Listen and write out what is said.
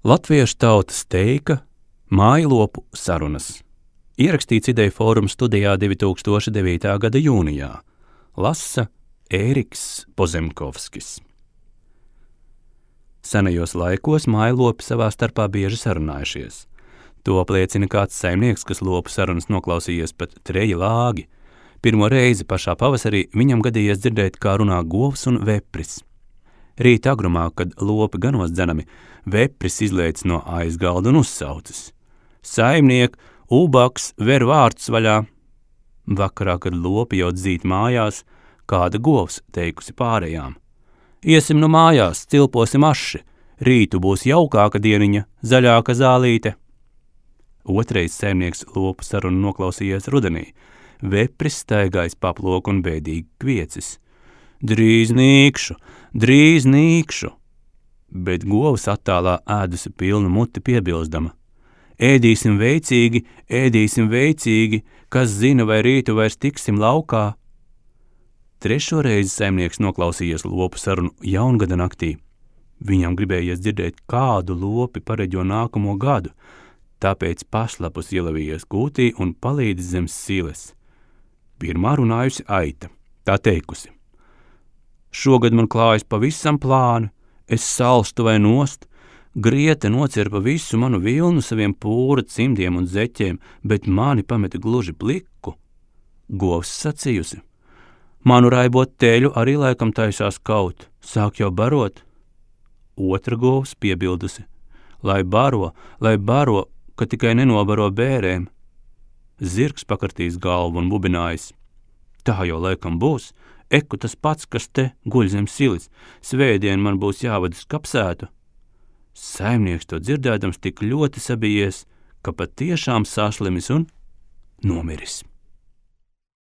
Latviešu tautas teika Mājlopu sarunas. Ierakstīts Ideju fóruma studijā 2009. gada jūnijā. Lasa Ēriks Pozemkovskis. Senajos laikos mājlopi savā starpā bieži sarunājušies. To apliecina kāds saimnieks, kas lopu sarunas noklausījies pat 3 lāgi. Pirmo reizi pašā pavasarī viņam gadījies dzirdēt, kā runā govs un vepris. Rīt agrumā, kad lopi ganos dzenami, vepris izlēc no aizgalda un uzsaucis: "Saimniek, ubaks, ver vārtus vaļā!" Vakarā, kad lopi jau dzīt mājās, kāda govs teikusi pārējām: "Iesim nu mājās, cilposim aši, rītu būs jaukāka dieniņa, zaļāka zālīte." Otrais saimnieks lopu sarunu noklausījies rudenī. Vepris staigājis paploku un bēdīgi kviecis: "Drīz nīkšu, drīz nīkšu!" Bet govs attālā ēdusi pilnu muti piebilstama: "Ēdīsim veicīgi, kas zina, vai rītu vairs tiksim laukā." Trešo reizi saimnieks noklausījies lopu sarunu jaungada naktī. Viņam gribējies dzirdēt, kādu lopi pareģo nākamo gadu, tāpēc paslapus ielavījies kūtī un palīdis zem siles. Pirmā runājusi aita, tā teikusi: "Šogad man klājas pavisam plāni, es salstu vai nost, griete nocirpa visu manu vilnu saviem pūra cimdiem un zeķiem, bet mani pameta gluži pliku." Govs sacījusi: "Manu raibot teļu arī laikam taisās kaut, sāk jau barot." Otra govs piebildusi: lai baro, ka tikai nenobaro bērēm." Zirgs pakartīs galvu un bubinājis: "Tā jau laikam būs, eku tas pats, kas te guļ zem silis, svētdien man būs jāvadas kapsētu." Saimnieks to dzirdēdams tik ļoti sabijies, ka patiešām saslimis un nomiris.